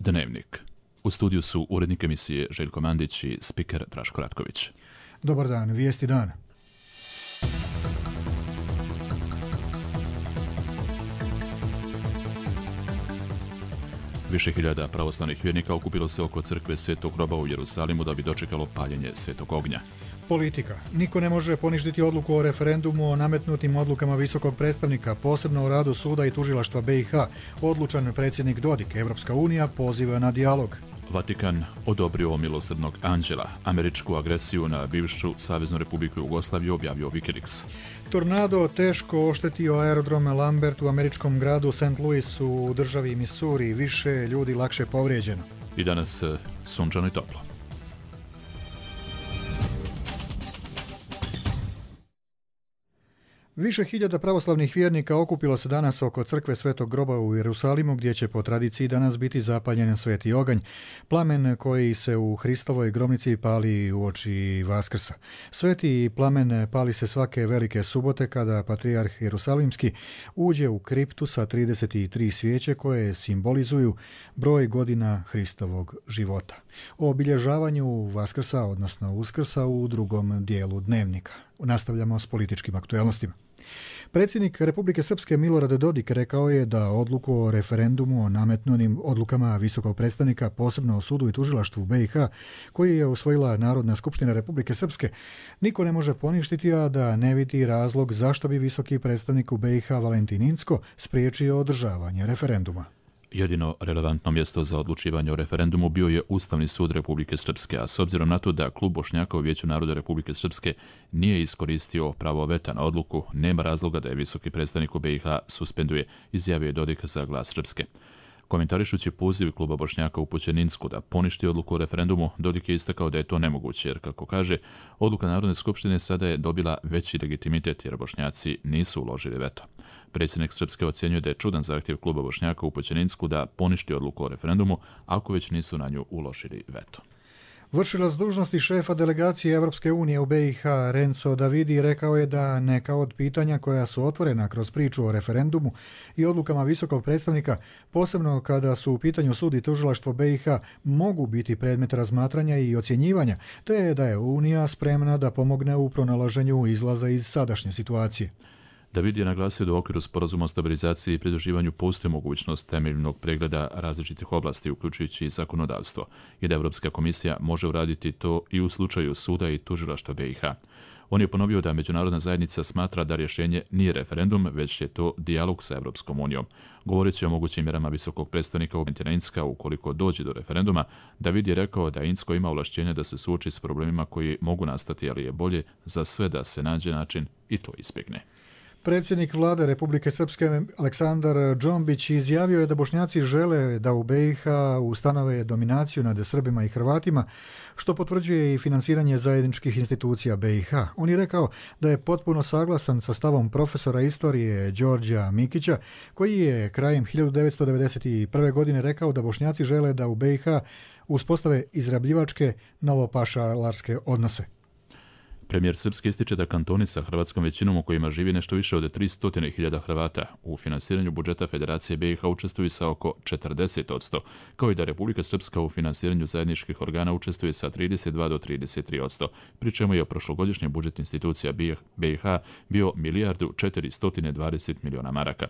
Dnevnik. U studiju su urednik emisije Željko Mandić i spiker Draško Ratković. Dobar dan, vijesti dana. Više hiljada pravoslavnih vjernika okupilo se oko crkve Svetog groba u Jerusalimu da bi dočekalo paljenje Svetog ognja. Politika. Niko ne može poništiti odluku o referendumu o nametnutim odlukama visokog predstavnika, posebno o radu suda i tužilaštva BiH. Odlučan predsjednik Dodik. Evropska unija poziva na dijalog. Vatikan odobrio milosrdnog anđela. Američku agresiju na bivšu Saveznu Republiku Jugoslaviju objavio Wikileaks. Tornado teško oštetio aerodrom Lambert u američkom gradu St. Louis u državi Missouri. Više ljudi lakše povrijeđeno. I danas sunčano i toplo. Više hiljada pravoslavnih vjernika okupilo se danas oko crkve Svetog groba u Jerusalimu, gdje će po tradiciji danas biti zapaljen sveti oganj, plamen koji se u Hristovoj grobnici pali uoči Vaskrsa. Sveti plamen pali se svake velike subote kada patrijarh Jerusalimski uđe u kriptu sa 33 svijeće koje simbolizuju broj godina Hristovog života. O obilježavanju Vaskrsa, odnosno Uskrsa, u drugom dijelu dnevnika. Nastavljamo s političkim aktuelnostima. Predsjednik Republike Srpske Milorad Dodik rekao je da odluku o referendumu o nametnutim odlukama visokog predstavnika, posebno o sudu i tužilaštvu BiH, koji je usvojila Narodna skupština Republike Srpske, niko ne može poništiti, a da ne vidi razlog zašto bi visoki predstavnik u BiH Valentin Incko spriječio održavanje referenduma. Jedino relevantno mjesto za odlučivanje o referendumu bio je Ustavni sud Republike Srpske, a s obzirom na to da klub Bošnjaka u Vijeću naroda Republike Srpske nije iskoristio pravo veta na odluku, nema razloga da je visoki predstavnik u BiH suspenduje, izjavio je Dodik za Glas Srpske. Komentarišući poziv kluba Bošnjaka upućen Incku da poništi odluku o referendumu, Dodik je istakao da je to nemoguće, jer, kako kaže, odluka Narodne skupštine sada je dobila veći legitimitet jer Bošnjaci nisu uložili veto. Predsjednik Srpske ocjenjuje da je čudan zahtjev kluba Bošnjaka upućen Incku da poništi odluku o referendumu ako već nisu na nju uložili veto. Vršilac dužnosti šefa delegacije Evropske unije u BiH Renzo Davidi rekao je da neka od pitanja koja su otvorena kroz priču o referendumu i odlukama visokog predstavnika, posebno kada su u pitanju sud i tužilaštvo BiH, mogu biti predmet razmatranja i ocjenjivanja, te da je Unija spremna da pomogne u pronalaženju izlaza iz sadašnje situacije. David je naglasio da u okviru sporazuma o stabilizaciji i pridruživanju postoji mogućnost temeljnog pregleda različitih oblasti, uključujući i zakonodavstvo, i da Evropska komisija može uraditi to i u slučaju suda i tužilaštva BiH. On je ponovio da međunarodna zajednica smatra da rješenje nije referendum, već je to dijalog sa Evropskom unijom. Govoreći o mogućim mjerama visokog predstavnika Valentina Incka ukoliko dođe do referenduma, David je rekao da Incko ima ovlašćenje da se suoči s problemima koji mogu nastati, ali je bolje za sve da se nađe način i to izbjegne. Predsjednik vlade Republike Srpske Aleksandar Džombić izjavio je da Bošnjaci žele da u BiH ustanove dominaciju nad Srbima i Hrvatima, što potvrđuje i finansiranje zajedničkih institucija BiH. On je rekao da je potpuno saglasan sa stavom profesora istorije Đorđa Mikića, koji je krajem 1991. godine rekao da Bošnjaci žele da u BiH uspostave izrabljivačke novopašalarske odnose. Premijer Srpske ističe da kantoni sa hrvatskom većinom u kojima živi nešto više od 300.000 Hrvata u finansiranju budžeta Federacije BiH učestvuju sa oko 40%, kao i da Republika Srpska u finansiranju zajedničkih organa učestvuje sa 32 do 33%, pri čemu je prošlogodišnji budžet institucija BiH bio 1.420 miliona maraka.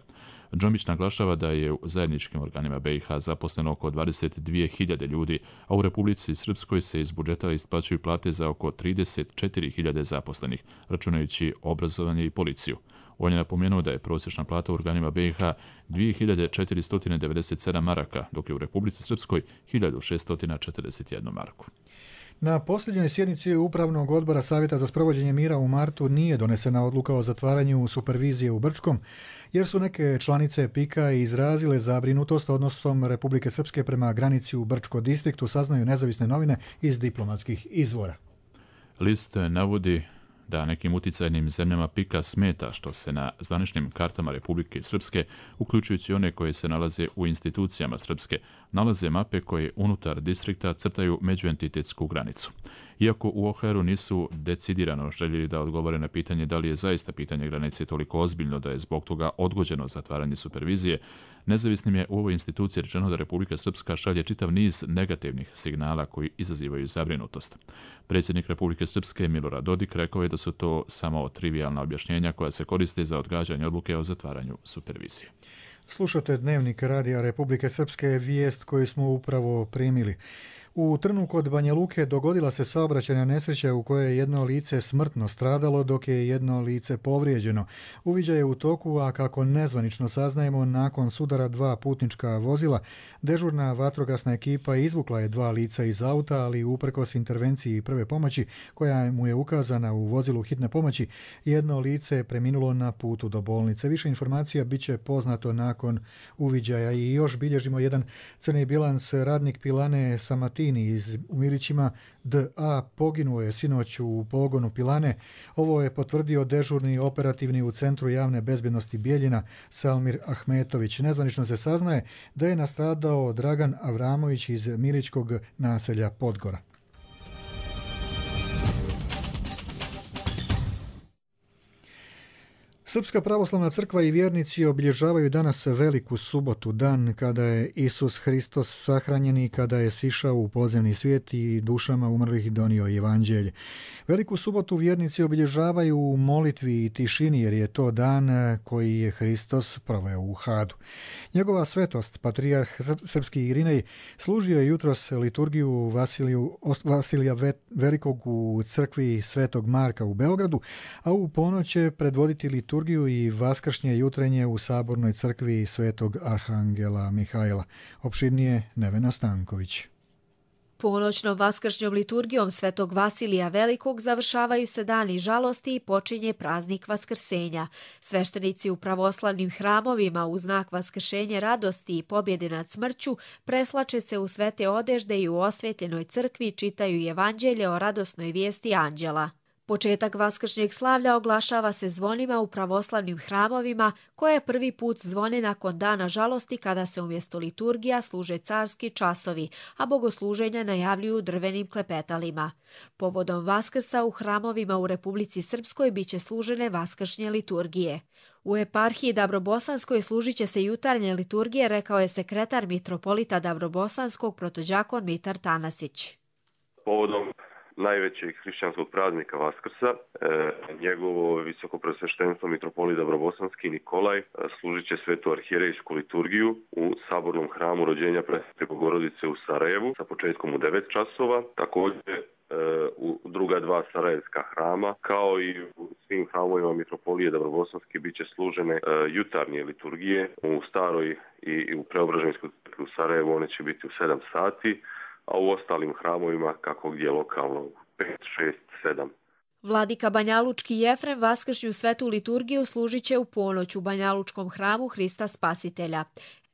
Džombić naglašava da je u zajedničkim organima BiH zaposleno oko 22.000 ljudi, a u Republici Srpskoj se iz budžeta isplaćuju plate za oko 34.000 zaposlenih, računajući obrazovanje i policiju. On je napomenuo da je prosječna plata u organima BiH 2.497 maraka, dok je u Republici Srpskoj 1.641 marku. Na posljednjoj sjednici Upravnog odbora Savjeta za sprovođenje mira u martu nije donesena odluka o zatvaranju supervizije u Brčkom, jer su neke članice PIK-a izrazile zabrinutost odnosom Republike Srpske prema granici u Brčko distriktu, saznaju nezavisne novine iz diplomatskih izvora. List navodi da nekim uticajnim zemljama PIK-a smeta što se na zvaničnim kartama Republike Srpske, uključujući one koje se nalaze u institucijama Srpske, nalaze mape koje unutar distrikta crtaju međuentitetsku granicu. Iako u OHR-u nisu decidirano željeli da odgovore na pitanje da li je zaista pitanje granice toliko ozbiljno da je zbog toga odgođeno zatvaranje supervizije, Nezavisnim je u ovoj instituciji rečeno da Republika Srpska šalje čitav niz negativnih signala koji izazivaju zabrinutost. Predsjednik Republike Srpske Milorad Dodik rekao je da su to samo trivijalna objašnjenja koja se koriste za odgađanje odluke o zatvaranju supervizije. Slušate Dnevnik Radija Republike Srpske, vijest koju smo upravo primili. U Trnu kod Banja Luke dogodila se saobraćajna nesreća u kojoj je jedno lice smrtno stradalo, dok je jedno lice povrijeđeno. Uviđaj je u toku, a kako nezvanično saznajemo, nakon sudara dva putnička vozila, dežurna vatrogasna ekipa izvukla je dva lica iz auta, ali uprkos intervenciji prve pomoći, koja mu je ukazana u vozilu hitne pomoći, jedno lice je preminulo na putu do bolnice. Više informacija bit će poznato nakon uviđaja. I još bilježimo jedan crni bilans. Radnik pilane Samatini u Milićima D.A. poginuo je sinoć u pogonu pilane. Ovo je potvrdio dežurni operativni u Centru javne bezbjednosti Bijeljina Salmir Ahmetović. Nezvanično se saznaje da je nastradao Dragan Avramović iz milićkog naselja Podgora. Srpska pravoslavna crkva i vjernici obilježavaju danas Veliku subotu, dan kada je Isus Hristos sahranjen i kada je sišao u podzemni svijet i dušama umrlih donio evanđelje. Veliku subotu vjernici obilježavaju u molitvi i tišini, jer je to dan koji je Hristos proveo u Hadu. Njegova svetost, patrijarh srpski Irinej, služio je jutros liturgiju Vasilija Velikog u crkvi Svetog Marka u Beogradu, a u ponoć će predvoditi liturgiju i vaskršnje jutrenje u Sabornoj crkvi Svetog Arhangela Mihajla. Opširnije Nevena Stanković. Ponoćnom vaskršnjom liturgijom Svetog Vasilija Velikog završavaju se dani žalosti i počinje praznik Vaskrsenja. Sveštenici u pravoslavnim hramovima u znak vaskršenja radosti i pobjede nad smrću preslače se u svete odežde i u osvetljenoj crkvi čitaju evanđelje o radosnoj vijesti anđela. Početak vaskršnjeg slavlja oglašava se zvonima u pravoslavnim hramovima, koje prvi put zvone nakon dana žalosti kada se umjesto liturgija služe carski časovi, a bogosluženja najavljuju drvenim klepetalima. Povodom Vaskrsa u hramovima u Republici Srpskoj biće služene vaskršnje liturgije. U eparhiji Dabrobosanskoj služit će se jutarnje liturgije, rekao je sekretar mitropolita Dabrobosanskog protođakon Mitar Tanasić. Povodom najvećeg hrišćanskog praznika Vaskrsa, njegovo visoko preosveštenstvo mitropolit Dabrobosanski Nikolaj služit će svetu arhijerejsku liturgiju u Sabornom hramu rođenja Presvete Bogorodice u Sarajevu sa početkom u 9 časova. Također u druga dva sarajevska hrama, kao i u svim hramovima mitropolije Dabrobosanski bit će služene jutarnje liturgije. U Staroj i u Preobraženskoj crkvi u Sarajevu one će biti u 7 sati, a u ostalim hramovima kako gdje lokalno 5, 6, 7. Vladika Banjalučki Jefrem vaskršnju svetu liturgiju služit će u ponoć u Banjalučkom hramu Hrista Spasitelja.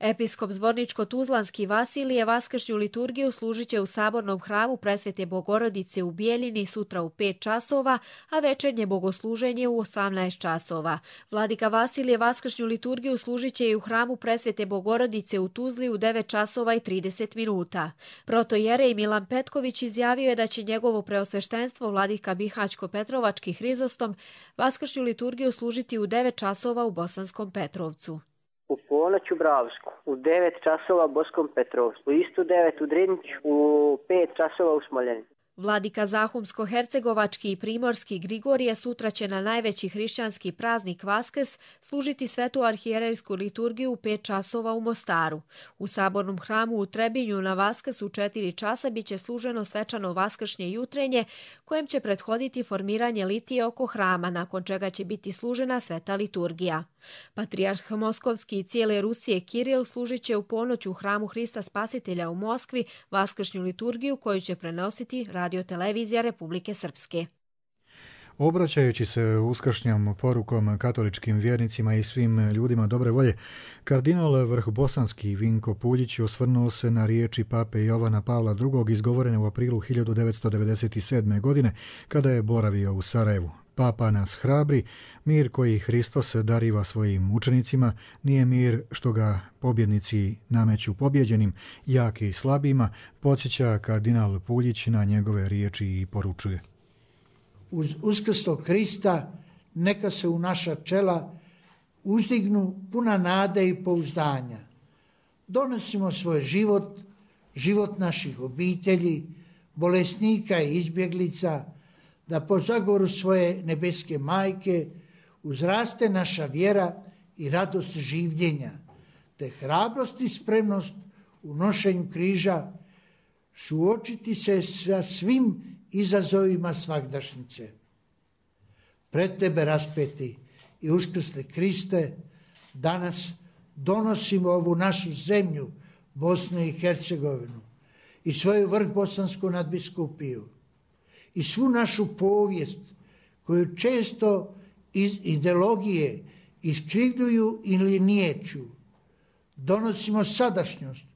Episkop Zvorničko-Tuzlanski Vasilije vaskršnju liturgiju služit će u Sabornom hramu Presvete Bogorodice u Bijeljini sutra u 5 časova, a večernje bogosluženje u 18 časova. Vladika Vasilije vaskršnju liturgiju služit će i u hramu Presvete Bogorodice u Tuzli u 9 časova i 30 minuta. Protojerej Milan Petković izjavio je da će njegovo preosveštenstvo vladika Bihaćko-Petrovački Hrizostom vaskršnju liturgiju služiti u 9 časova u Bosanskom Petrovcu. U ponoć u Bravsku, u 9 časova u Boskom Petrovcu, isto 9 u Driniću, u 5 časova u Smoljeni. Vladika Zahumsko-Hercegovački i Primorski Grigorije sutra će na najveći hrišćanski praznik Vaskrs služiti svetu arhijerejsku liturgiju u 5 časova u Mostaru. U Sabornom hramu u Trebinju na Vaskrs u 4 časa bit će služeno svečano vaskršnje jutrenje, kojem će prethoditi formiranje litije oko hrama, nakon čega će biti služena sveta liturgija. Patrijarh Moskovski i cijele Rusije Kiril služit će u ponoć u hramu Hrista Spasitelja u Moskvi vaskršnju liturgiju koju će prenositi radiotelevizija Republike Srpske. Obraćajući se uskršnjom porukom katoličkim vjernicima i svim ljudima dobre volje, kardinal vrhbosanski Vinko Puljić osvrnuo se na riječi pape Jovana Pavla II. Izgovorene u aprilu 1997. godine kada je boravio u Sarajevu. Papa nas hrabri, mir koji Hristos dariva svojim učenicima nije mir što ga pobjednici nameću pobjeđenim, jaki i slabima, podsjeća kardinal Puljić na njegove riječi i poručuje. Uz uskrslog Hrista neka se u naša čela uzdignu puna nade i pouzdanja, donosimo svoj život, život naših obitelji, bolesnika i izbjeglica, da po zagovoru svoje nebeske majke uzraste naša vjera i radost življenja, te hrabrost i spremnost u nošenju križa, suočiti se sa svim izazovima svagdašnjice. Pred tebe, raspeti i uskrsli Kriste, danas donosimo ovu našu zemlju, Bosnu i Hercegovinu, i svoju vrhbosansku nadbiskupiju, i svu našu povijest, koju često iz ideologije iskrivljuju ili niječu. Donosimo sadašnjost,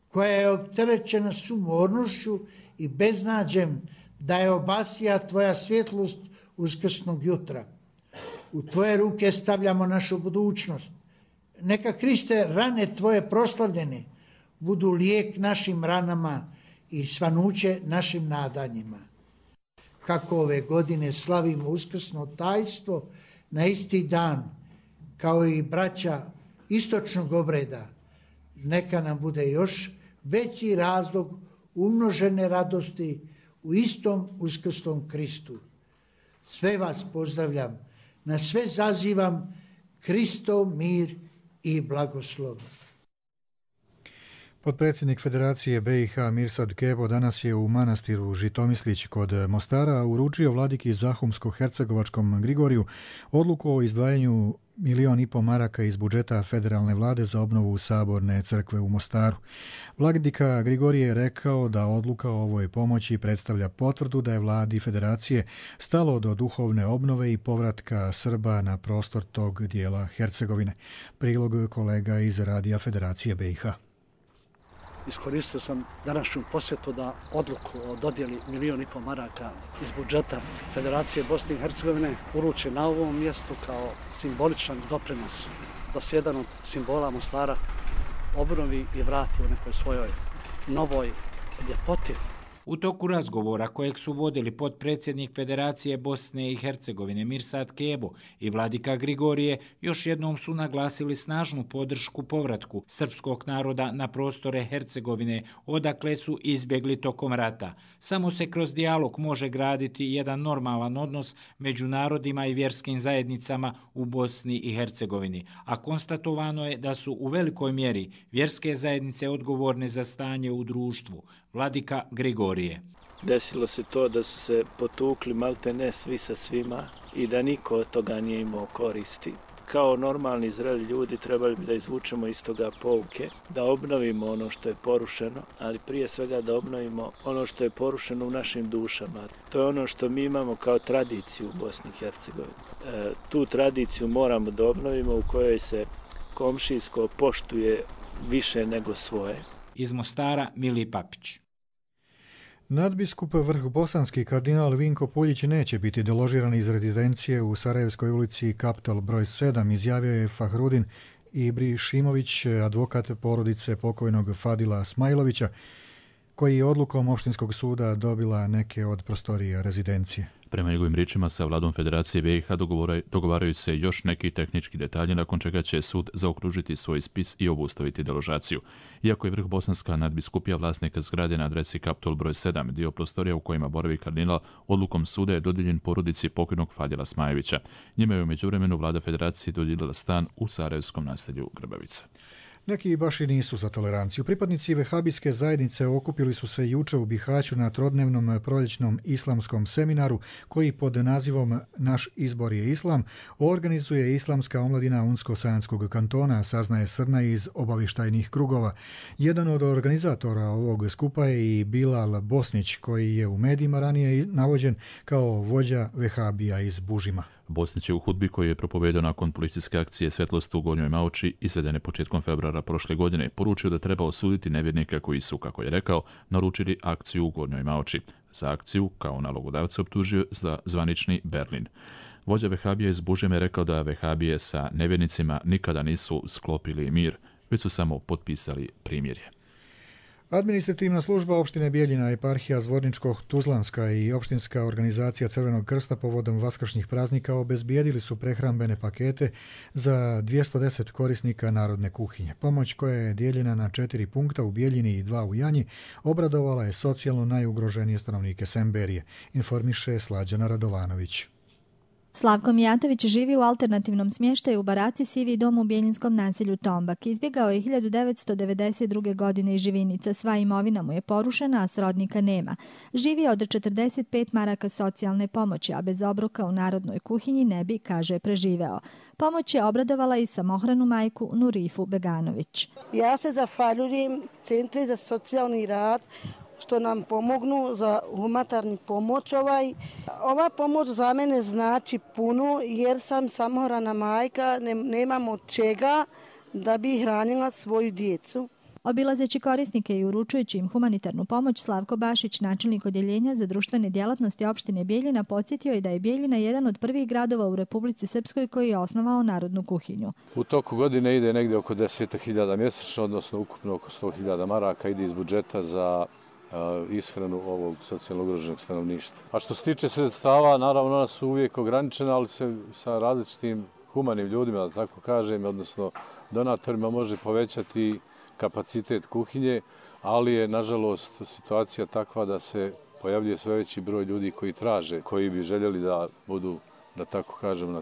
koja je opterećena sumornošću i beznađem, da je obasija tvoja svjetlost uskrsnog jutra. U tvoje ruke stavljamo našu budućnost. Neka, Kriste, rane tvoje proslavljene budu lijek našim ranama i svanuće našim nadanjima. Kako ove godine slavimo uskrsno tajstvo na isti dan, kao i braća istočnog obreda, neka nam bude još veći razlog umnožene radosti u istom uskrsnom Kristu. Sve vas pozdravljam, na sve zazivam Kristov mir i blagoslov. Potpredsjednik Federacije BiH Mirsad Kebo danas je u manastiru Žitomislić kod Mostara uručio vladiki Zahumsko-hercegovačkom Grigoriju odluku o izdvajanju 1,5 milijuna maraka iz budžeta federalne vlade za obnovu Saborne crkve u Mostaru. Vladika Grigorije je rekao da odluka o ovoj pomoći predstavlja potvrdu da je vladi Federacije stalo do duhovne obnove i povratka Srba na prostor tog dijela Hercegovine. Prilog kolega iz Radija Federacije BiH. Iskoristio sam današnju posjetu da odluku o dodjeli 1,5 milijuna maraka iz budžeta Federacije Bosne i Hercegovine uruči na ovom mjestu kao simboličan doprinos da se jedan od simbola Mostara obnovi i vrati u nekoj svojoj novoj ljepoti. U toku razgovora kojeg su vodili potpredsjednik Federacije Bosne i Hercegovine Mirsad Kebo i vladika Grigorije, još jednom su naglasili snažnu podršku povratku srpskog naroda na prostore Hercegovine, odakle su izbjegli tokom rata. Samo se kroz dijalog može graditi jedan normalan odnos među narodima i vjerskim zajednicama u Bosni i Hercegovini, a konstatovano je da su u velikoj mjeri vjerske zajednice odgovorne za stanje u društvu. Vladika Grigorije. Desilo se to da su se potukli maltene svi sa svima i da niko od toga nije imao koristi. Kao normalni zreli ljudi trebali bi da izvučemo iz toga pouke, da obnovimo ono što je porušeno, ali prije svega da obnovimo ono što je porušeno u našim dušama. To je ono što mi imamo kao tradiciju u Bosni i Hercegovini. Tu tradiciju moramo da obnovimo, u kojoj se komšijsko poštuje više nego svoje. Iz Mostara Mili Papić. Nadbiskup vrhbosanski kardinal Vinko Puljić neće biti deložiran iz rezidencije u Sarajevskoj ulici Kaptol broj 7, izjavio je Fahrudin Ibrišimović, advokat porodice pokojnog Fadila Smajlovića, koji je odlukom opštinskog suda dobila neke od prostorija rezidencije. Prema njegovim riječima, sa vladom Federacije BiH dogovaraju se još neki tehnički detalji, nakon čega će sud zaokružiti svoj spis i obustaviti deložaciju. Iako je vrhbosanska nadbiskupija vlasnika zgrade na adresi Kaptol broj 7, dio prostorija u kojima boravi kardinal, odlukom suda je dodijeljen porodici pokojnog Fadila Smajevića. Njime je u međuvremenu vlada Federacije dodijelila stan u Sarajevskom naselju Grbavica. Neki baš i nisu za toleranciju. Pripadnici vehabijske zajednice okupili su se juče u Bihaću na trodnevnom proljećnom islamskom seminaru koji pod nazivom Naš izbor je islam organizuje islamska omladina Unsko-Sanskog kantona, saznaje Srna iz obavještajnih krugova. Jedan od organizatora ovog skupa je i Bilal Bosnić, koji je u medijima ranije navođen kao vođa vehabija iz Bužima. Bosnić je u hudbi koji je propovedao nakon policijske akcije Svjetlost u Gornjoj Maoči, izvedene početkom februara prošle godine, poručio da treba osuditi nevjernike koji su, kako je rekao, naručili akciju u Gornjoj Maoči. Za akciju, kao nalogodavca, optužio za zvanični Berlin. Vođa vehabije iz Bužima je rekao da vehabije sa nevjernicima nikada nisu sklopili mir, već su samo potpisali primirje. Administrativna služba opštine Bijeljina, eparhija Zvorničko-Tuzlanska i opštinska organizacija Crvenog krsta povodom vaskršnjih praznika obezbijedili su prehrambene pakete za 210 korisnika narodne kuhinje. Pomoć koja je dijeljena na 4 punkta u Bijeljini i 2 u Janji obradovala je socijalno najugroženije stanovnike Semberije, informiše Slađana Radovanović. Slavko Mijatović živi u alternativnom smještaju u baraci Sivi dom u Bijeljinskom naselju Tombak. Izbjegao je 1992. godine iz Živinica. Sva imovina mu je porušena, a srodnika nema. Živi od 45 maraka socijalne pomoći, a bez obroka u narodnoj kuhinji ne bi, kaže, preživeo. Pomoć je obradovala i samohranu majku Nurifu Beganović. Ja se zahvaljujem Centri za socijalni rad što nam pomognu za humanitarnu pomoć. Ova pomoć za mene znači puno jer sam samohrana majka, nemam od čega da bi hranila svoju djecu. Obilazeći korisnike i uručujući im humanitarnu pomoć, Slavko Bašić, načelnik odjeljenja za društvene djelatnosti opštine Bijeljina, podsjetio je da je Bijeljina jedan od prvih gradova u Republici Srpskoj koji je osnovao narodnu kuhinju. U toku godine ide negdje oko 10.000 mjesečno, odnosno ukupno oko 100.000 maraka ide iz budžeta za ishranu ovog socijalno ugroženog stanovništva. A što se tiče sredstava, naravno ona su uvijek ograničena, ali se sa različitim humanim ljudima, da tako kažem, odnosno donatorima može povećati kapacitet kuhinje, ali je nažalost situacija takva da se pojavljuje sve veći broj ljudi koji traže, koji bi željeli da budu, da tako kažem,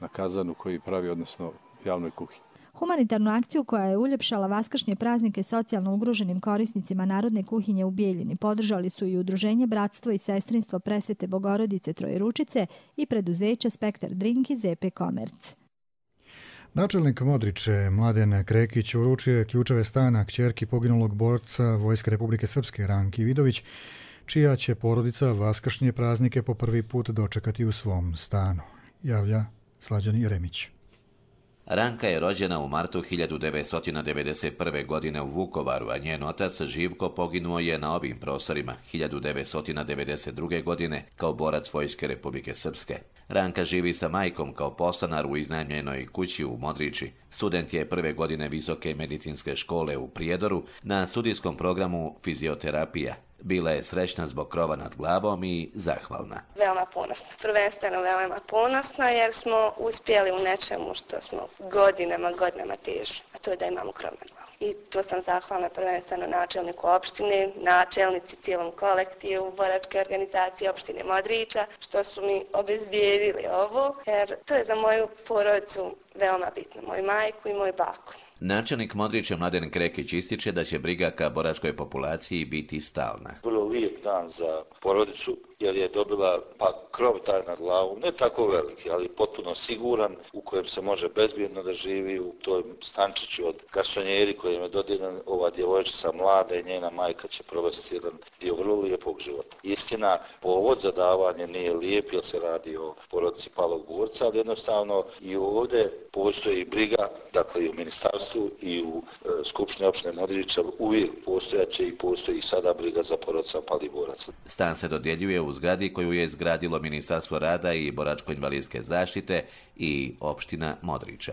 na kazanu koji pravi, odnosno javnoj kuhinji. Humanitarnu akciju koja je uljepšala vaskršnje praznike socijalno ugroženim korisnicima narodne kuhinje u Bijeljini podržali su i Udruženje Bratstvo i sestrinstvo Presvete Bogorodice Trojeručice i preduzeća Spektar Drink i ZP Komerc. Načelnik Modriče Mladen Krekić uručio je ključeve stana kćerki poginulog borca Vojske Republike Srpske Ranki Vidović, čija će porodica vaskršnje praznike po prvi put dočekati u svom stanu, javlja Slađan Jeremić. Ranka je rođena u martu 1991. godine u Vukovaru, a njen otac Živko poginuo je na ovim prostorima 1992. godine kao borac Vojske Republike Srpske. Ranka živi sa majkom kao podstanar u iznajmljenoj kući u Modriči. Student je prve godine Visoke medicinske škole u Prijedoru na studijskom programu fizioterapija. Bila je srećna zbog krova nad glavom i zahvalna. Veoma ponosna. Prvenstveno veoma ponosna jer smo uspjeli u nečemu što smo godinama težili, a to je da imamo krov nad glavom. I to sam zahvalna prvenstveno načelniku opštine, načelnici cijelom kolektivu, boračke organizacije opštine Modriča, što su mi obezbijedili ovo, jer to je za moju porodicu veoma bitno, moju majku i moju baku. Načelnik Modrića Mladen Krekić ističe da će briga ka boračkoj populaciji biti stalna. Vrlo lijep dan za porodicu jer je dobila krov taj nad glavom, ne tako veliki, ali potpuno siguran u kojem se može bezbjedno da živi u toj stančiću od garsonjeri kojim je dodijeljen. Ova djevojčica mlada i njena majka će provesti jedan dio vrlo lijepog života. Istina, povod za davanje nije lijep jer se radi o porodici palog borca, ali jednostavno i ovdje postoji briga, dakle i u ministarstvu i u Skupštini opštine Modriča uvijek postojaće i postoji i sada briga za porodica palih boraca. Stan se dodjeljuje u zgradi koju je izgradilo Ministarstvo rada i boračko-invalidske zaštite i opština Modriče.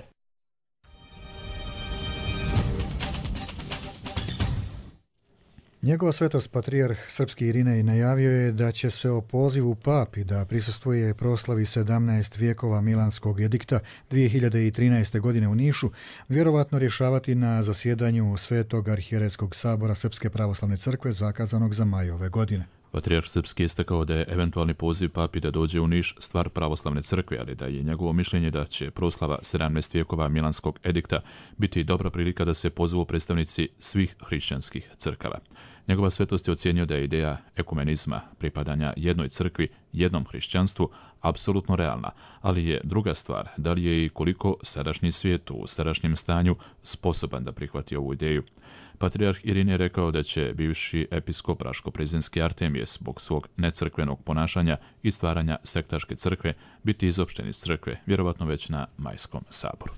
Njegova svetost patrijarh srpski Irinej najavio je da će se o pozivu papi da prisustvuje proslavi 17 vijekova Milanskog edikta 2013. godine u Nišu vjerovatno rješavati na zasjedanju Svetog arhijeretskog sabora Srpske pravoslavne crkve zakazanog za maj ove godine. Patrijarh Srpski je istakao da je eventualni poziv papi da dođe u Niš stvar pravoslavne crkve, ali da je njegovo mišljenje da će proslava 17 vijekova Milanskog edikta biti dobra prilika da se pozvu predstavnici svih hrišćanskih crkava. Njegova svetost je ocijenio da je ideja ekumenizma, pripadanja jednoj crkvi, jednom hrišćanstvu, apsolutno realna, ali je druga stvar da li je i koliko sadašnji svijet u sadašnjem stanju sposoban da prihvati ovu ideju. Patrijarh Irinej je rekao da će bivši episkop Raško-Prezinski Artemije zbog svog necrkvenog ponašanja i stvaranja sektaške crkve biti izopšten iz crkve, vjerovatno već na majskom saboru.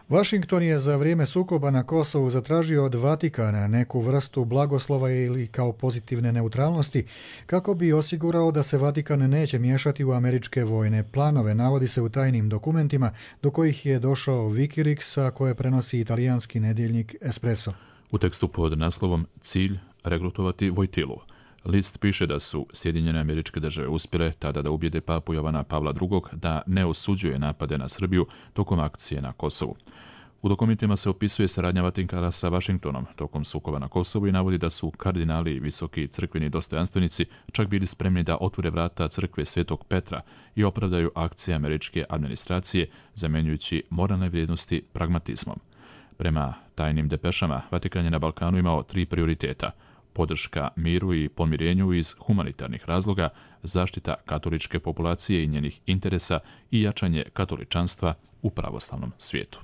Washington je za vrijeme sukoba na Kosovu zatražio od Vatikana neku vrstu blagoslova ili kao pozitivne neutralnosti kako bi osigurao da se Vatikan neće miješati u američke vojne planove, navodi se u tajnim dokumentima do kojih je došao Wikileaks, a koje prenosi italijanski nedjeljnik Espresso. U tekstu pod naslovom Cilj regrutovati Vojtilu, list piše da su Sjedinjene Američke Države uspjele tada da ubijede papu Jovana Pavla II da ne osuđuje napade na Srbiju tokom akcije na Kosovu. U dokumentima se opisuje saradnja Vatikana sa Vašingtonom tokom sukoba na Kosovu i navodi da su kardinali i visoki crkveni dostojanstvenici čak bili spremni da otvore vrata crkve Svetog Petra i opravdaju akcije američke administracije, zamjenjujući moralne vrijednosti pragmatizmom. Prema tajnim depešama, Vatikan je na Balkanu imao 3 prioriteta: podrška miru i pomirenju iz humanitarnih razloga, zaštita katoličke populacije i njenih interesa i jačanje katoličanstva u pravoslavnom svijetu.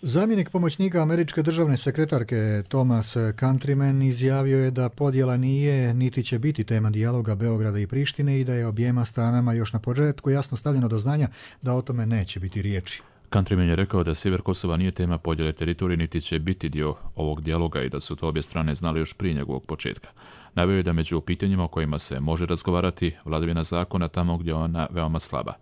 Zamjenik pomoćnika američke državne sekretarke Thomas Countryman izjavio je da podjela nije niti će biti tema dijaloga Beograda i Prištine i da je objema stranama još na početku jasno stavljeno do znanja da o tome neće biti riječi. Countryman je rekao da sjever Kosova nije tema podjele teritorije niti će biti dio ovog dijaloga i da su to obje strane znali još prije njegovog početka. Naveo je da među pitanjima o kojima se može razgovarati vladavina zakona tamo gdje je ona veoma slaba.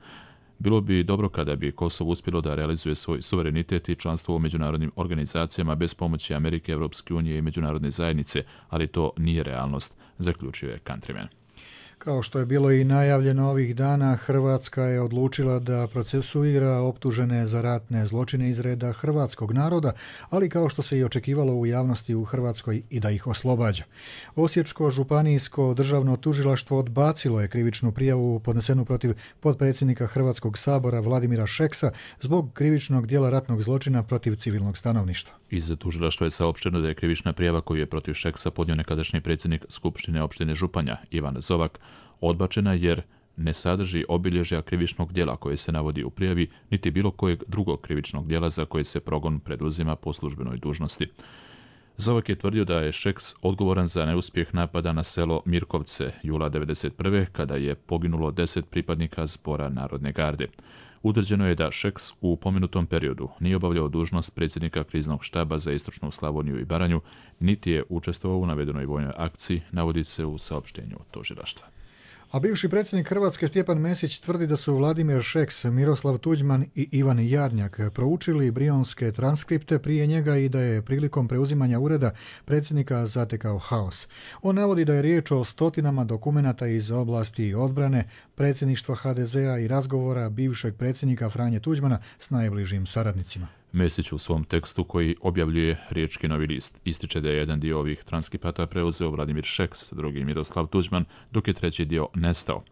Bilo bi dobro kada bi Kosovo uspjelo da realizuje svoj suverenitet i članstvo u međunarodnim organizacijama bez pomoći Amerike, Europske unije i međunarodne zajednice, ali to nije realnost, zaključio je Countryman. Kao što je bilo i najavljeno ovih dana, Hrvatska je odlučila da procesuira optužene za ratne zločine iz reda hrvatskog naroda, ali kao što se i očekivalo u javnosti u Hrvatskoj i da ih oslobađa. Osječko županijsko državno tužilaštvo odbacilo je krivičnu prijavu podnesenu protiv potpredsjednika Hrvatskog sabora Vladimira Šeksa zbog krivičnog dijela ratnog zločina protiv civilnog stanovništva. Iz tužilaštva je saopšteno da je krivična prijava koju je protiv Šeksa podnio nekadašnji predsjednik Skupštine opštine Županja Ivan Zovak odbačena jer ne sadrži obilježja krivičnog djela koje se navodi u prijavi, niti bilo kojeg drugog krivičnog djela za koje se progon preduzima po službenoj dužnosti. Zovak je tvrdio da je Šeks odgovoran za neuspjeh napada na selo Mirkovce jula 1991. kada je poginulo 10 pripadnika Zbora Narodne garde. Utvrđeno je da Šeks u pomenutom periodu nije obavljao dužnost predsjednika kriznog štaba za istočnu Slavoniju i Baranju, niti je učestvovao u navedenoj vojnoj akciji, navodi se u saopštenju tužilaštva. A bivši predsjednik Hrvatske Stjepan Mesić tvrdi da su Vladimir Šeks, Miroslav Tuđman i Ivan Jarnjak proučili brionske transkripte prije njega i da je prilikom preuzimanja ureda predsjednika zatekao haos. On navodi da je riječ o stotinama dokumenata iz oblasti odbrane, predsjedništva HDZ-a i razgovora bivšeg predsjednika Franje Tuđmana s najbližim saradnicima. Mesić u svom tekstu koji objavljuje Riječki Novi list ističe da je jedan dio ovih transkripata preuzeo Vladimir Šeks, drugi Miroslav Tuđman, dok je treći dio nestao.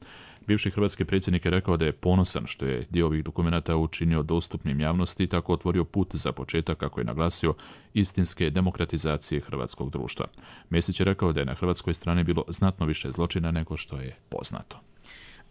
Bivši hrvatski predsjednik je rekao da je ponosan što je dio ovih dokumenata učinio dostupnim javnosti i tako otvorio put za početak, kako je naglasio, istinske demokratizacije hrvatskog društva. Mesić je rekao da je na hrvatskoj strani bilo znatno više zločina nego što je poznato.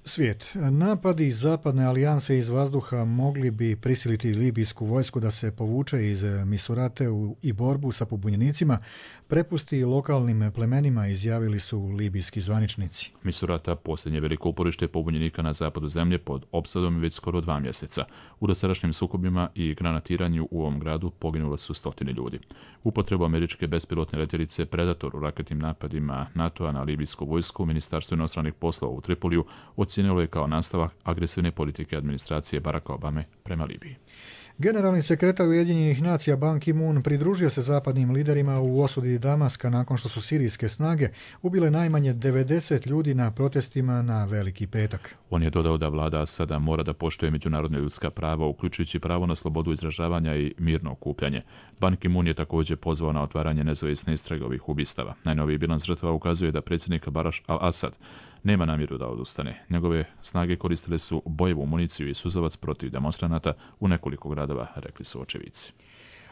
Svijet. Napadi zapadne alijanse iz vazduha mogli bi prisiliti libijsku vojsku da se povuče iz Misurate i borbu sa pobunjenicima prepusti lokalnim plemenima, izjavili su libijski zvaničnici. Misurata, posljednje veliko uporište pobunjenika na zapadu zemlje, pod opsadom je već skoro 2 mjeseca. U dosadašnjim sukobima i granatiranju u ovom gradu poginulo su 100 ljudi. Upotrebu američke bespilotne letjelice Predator u raketnim napadima NATO-a na libijsku vojsku Ministarstvo inostranih poslova u Tripoliju ocijenilo je kao nastavak agresivne politike administracije Baracka Obame prema Libiji. Generalni sekretar Ujedinjenih nacija Ban Ki-moon pridružio se zapadnim liderima u osudi Damaska nakon što su sirijske snage ubile najmanje 90 ljudi na protestima na Veliki petak. On je dodao da vlada Asada mora da poštuje međunarodna ljudska prava, uključujući pravo na slobodu izražavanja i mirno okupljanje. Ban Ki-moon je također pozvao na otvaranje nezavisne istrage ovih ubistava. Najnoviji bilans žrtava ukazuje da predsjednik Bashar al-Assad nema namjeru da odustane. Njegove snage koristile su bojevu municiju i suzavac protiv demonstranata u nekoliko gradova, rekli su očevici.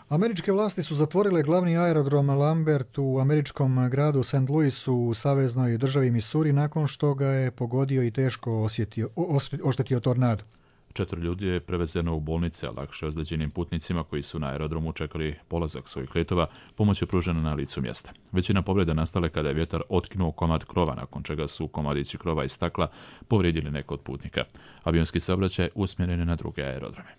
Američke vlasti su zatvorile glavni aerodrom Lambert u američkom gradu St. Louisu u saveznoj državi Missouri nakon što ga je pogodio i teško oštetio tornado. 4 ljudi je prevezeno u bolnice, a lakše ozlijeđenim putnicima koji su na aerodromu čekali polazak svojih letova, pomoć je pružena na licu mjesta. Većina povreda nastale kada je vjetar otkinuo komad krova, nakon čega su komadići krova i stakla povrijedili neko od putnika. Avionski saobraćaj usmjeren je na druge aerodrome.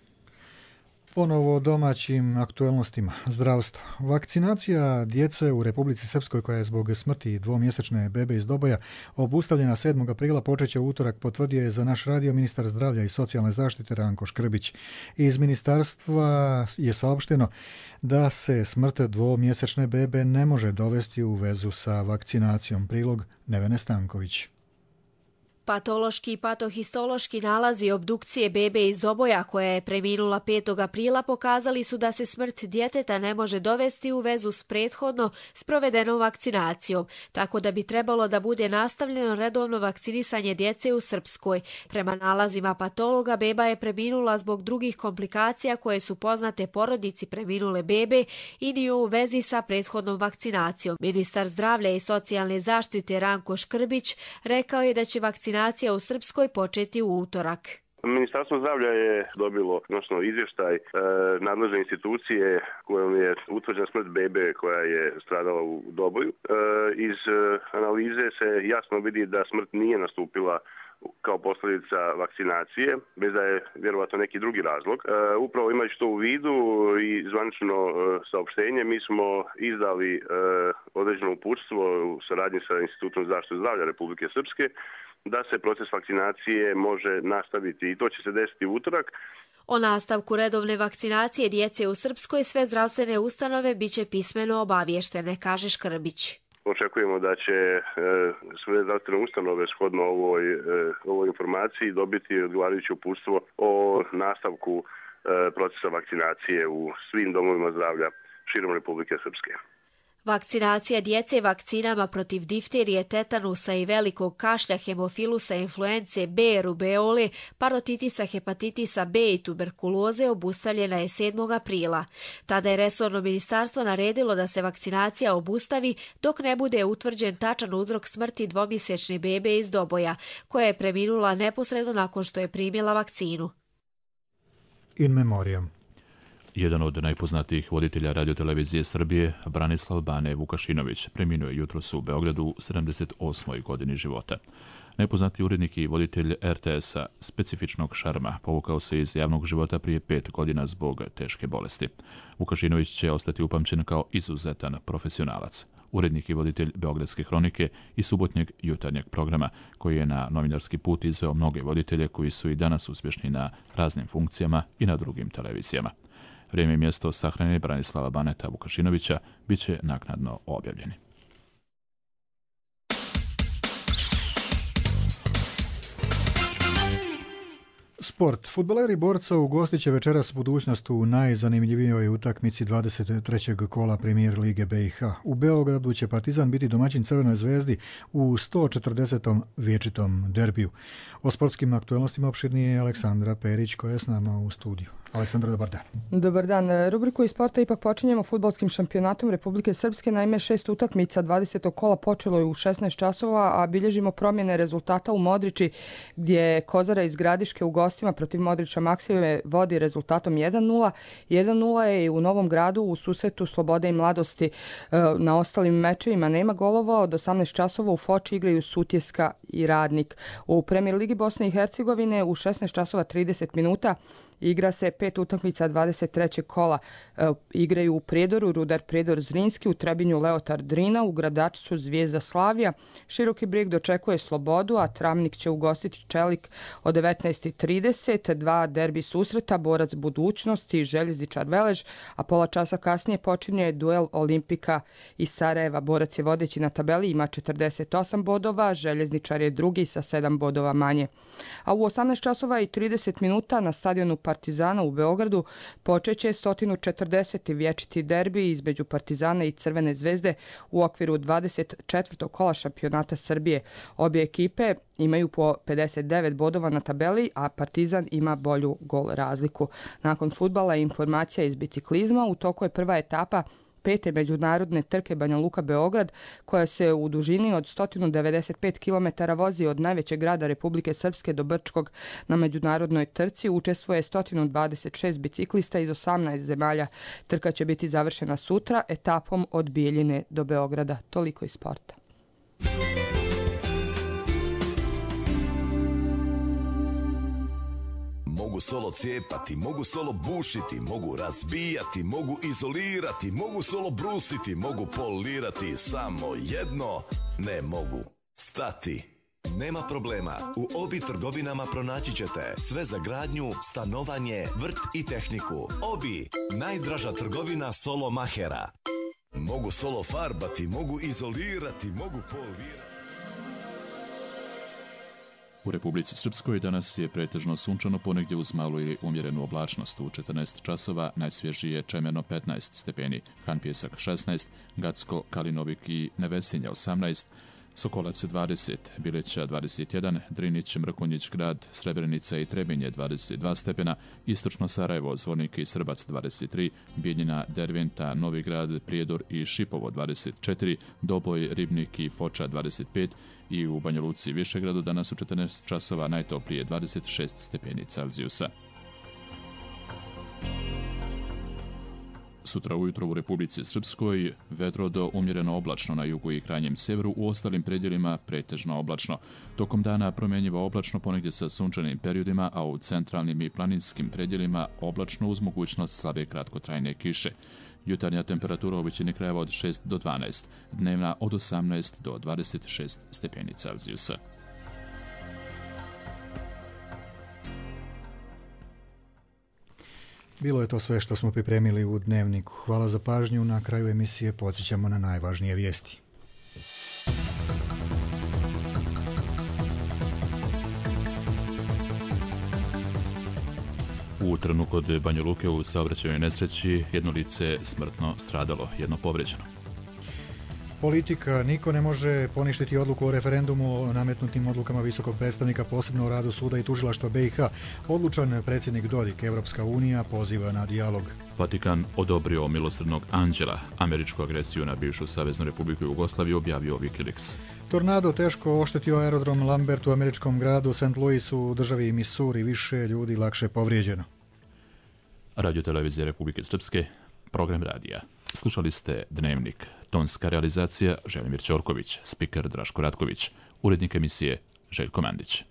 Ponovo o domaćim aktuelnostima. Zdravstvo. Vakcinacija djece u Republici Srpskoj, koja je zbog smrti dvomjesečne bebe iz Doboja obustavljena 7. aprila, počeće u utorak, potvrdio je za naš radio ministar zdravlja i socijalne zaštite Ranko Škrbić. Iz ministarstva je saopšteno da se smrt dvomjesečne bebe ne može dovesti u vezu sa vakcinacijom. Prilog Nevene Stanković. Patološki i patohistološki nalazi obdukcije bebe iz Doboja, koja je preminula 5. aprila, pokazali su da se smrt djeteta ne može dovesti u vezu s prethodno sprovedenom vakcinacijom, tako da bi trebalo da bude nastavljeno redovno vakcinisanje djece u Srpskoj. Prema nalazima patologa, beba je preminula zbog drugih komplikacija koje su poznate porodici preminule bebe i nije u vezi sa prethodnom vakcinacijom. Ministar zdravlja i socijalne zaštite Ranko Škrbić rekao je da će vakcinacija u Srpskoj početi u utorak. Ministarstvo zdravlja je dobilo izvještaj nadležne institucije kojom je utvrđena smrt bebe koja je stradala u Doboju. Iz analize se jasno vidi da smrt nije nastupila kao posljedica vakcinacije, bez da je vjerovatno neki drugi razlog. Upravo imajući to u vidu i zvanično saopštenje, mi smo izdali određeno uputstvo u saradnji sa Institutom za zaštitu zdravlja Republike Srpske da se proces vakcinacije može nastaviti i to će se desiti u utorak. O nastavku redovne vakcinacije djece u Srpskoj sve zdravstvene ustanove biće pismeno obavještene, kaže Škrbić. Očekujemo da će sve zdravstvene ustanove shodno ovoj informaciji dobiti odgovarajuće uputstvo o nastavku procesa vakcinacije u svim domovima zdravlja širom Republike Srpske. Vakcinacija djece vakcinama protiv difterije, tetanusa i velikog kašlja, hemofilusa, influence B, rubeole, parotitisa, hepatitisa B i tuberkuloze obustavljena je 7. aprila. Tada je resorno ministarstvo naredilo da se vakcinacija obustavi dok ne bude utvrđen tačan uzrok smrti dvomjesečne bebe iz Doboja, koja je preminula neposredno nakon što je primila vakcinu. In memoriam. Jedan od najpoznatijih voditelja radiotelevizije Srbije, Branislav Bane Vukašinović, preminuo je jutros u Beogradu u 78. godini života. Najpoznatiji urednik i voditelj RTS-a specifičnog šarma povukao se iz javnog života prije 5 godina zbog teške bolesti. Vukašinović će ostati upamćen kao izuzetan profesionalac. Urednik i voditelj Beogradske hronike i subotnjeg jutarnjeg programa, koji je na novinarski put izveo mnoge voditelje koji su i danas uspješni na raznim funkcijama i na drugim televizijama. Vrijeme i mjesto sahrane Branislava Baneta Vukašinovića bit će naknadno objavljeni. Sport. Fudbaleri Borca ugostit će večeras budućnost u najzanimljivijoj utakmici 23. kola Premijer Lige BiH. U Beogradu će Partizan biti domaćin Crvenoj zvezdi u 140. vječitom derbiju. O sportskim aktualnostima opširnije je Aleksandra Perić, koja je s nama u studiju. Aleksandra, dobar dan. Dobar dan. Rubriku iz sporta ipak počinjemo fudbalskim šampionatom Republike Srpske. Naime, 6 utakmica 20. kola počelo je u 16 časova, a bilježimo promjene rezultata u Modriči, gdje Kozara iz Gradiške u gostima protiv Modrića Maksime vodi rezultatom 1-0. 1-0 je i u Novom Gradu u susretu Slobode i Mladosti. Na ostalim mečevima nema golova. Od 18 časova u Foči igraju Sutjeska i Radnik. U Premijer Ligi Bosne i Hercegovine u 16 časova 30 minuta igra se 5 utakmica 23. kola. Igraju u Prijedoru Rudar Prijedor Zrinski, u Trebinju Leotar Drina, u Gradačcu Zvijezda Slavija. Široki Brijeg dočekuje Slobodu, a Travnik će ugostiti Čelik od 19.30. 2 derbi susreta, Borac Budućnosti i Željezničar Velež, a pola časa kasnije počinje duel Olimpika i Sarajeva. Borac je vodeći na tabeli, ima 48 bodova, Željezničar je drugi sa 7 bodova manje. A u 18 časova i 30 minuta na stadionu Partizana u Beogradu počeće 140. vječiti derbi između Partizana i Crvene zvezde u okviru 24. kola šampionata Srbije. Obje ekipe imaju po 59 bodova na tabeli, a Partizan ima bolju gol razliku. Nakon fudbala je informacija iz biciklizma. U toku je prva etapa 5. međunarodne trke Banja Luka Beograd, koja se u dužini od 195 km vozi od najvećeg grada Republike Srpske do Brčkog. Na međunarodnoj trci učestvuje 126 biciklista iz 18 zemalja. Trka će biti završena sutra etapom od Bijeljine do Beograda. Toliko iz sporta. Mogu solo cijepati, mogu solo bušiti, mogu razbijati, mogu izolirati, mogu solo brusiti, mogu polirati, samo jedno ne mogu stati. Nema problema, u Obi trgovinama pronaći ćete sve za gradnju, stanovanje, vrt i tehniku. Obi, najdraža trgovina solo mahera. Mogu solo farbati, mogu izolirati, mogu polirati. U Republici Srpskoj danas je pretežno sunčano, ponegdje uz malu i umjerenu oblačnost. U 14 časova najsvježije Čemerno 15 stepeni, Han Pjesak 16, Gacko, Kalinovik i Nevesinja 18, Sokolac 20, Bileća 21, Drinić, Mrkonjić grad, Srebrenica i Trebinje 22 stepena, Istočno Sarajevo, Zvornik i Srbac 23, Bijeljina, Derventa, Novi grad, Prijedor i Šipovo 24, Doboj, Ribnik i Foča 25 i u Banja Luci i Višegradu danas u 14 časova najtoplije 26 stepeni Celzijusa. Sutra ujutro u Republici Srpskoj vedro do umjereno oblačno na jugu i krajnjem sjeveru, u ostalim predjelima pretežno oblačno. Tokom dana promjenjivo oblačno, ponegdje sa sunčanim periodima, a u centralnim i planinskim predjelima oblačno uz mogućnost slabe kratkotrajne kiše. Jutarnja temperatura u većini krajeva od 6 do 12, dnevna od 18 do 26 stepeni Celzijusa. Bilo je to sve što smo pripremili u Dnevniku. Hvala za pažnju. Na kraju emisije podsjećamo na najvažnije vijesti. U Trnu kod Banja Luke u saobraćajnoj nesreći jedno lice smrtno stradalo, jedno povrijeđeno. Politika, niko ne može poništiti odluku o referendumu o nametnutim odlukama visokog predstavnika, posebno o radu suda i tužilaštva BiH. Odlučan predsjednik Dodik, Evropska unija poziva na dijalog. Vatikan odobrio milosrdnog anđela, američku agresiju na bivšu Saveznu Republiku Jugoslaviju, objavio Wikileaks. Tornado teško oštetio aerodrom Lambert u američkom gradu St. Louisu u državi Missouri, više ljudi lakše povrijeđeno. Radio-televizija Republike Srpske, program radija. Slušali ste Dnevnik. Tonska realizacija Želimir Ćorković, spiker Draško Ratković, urednik emisije Željko Mandić.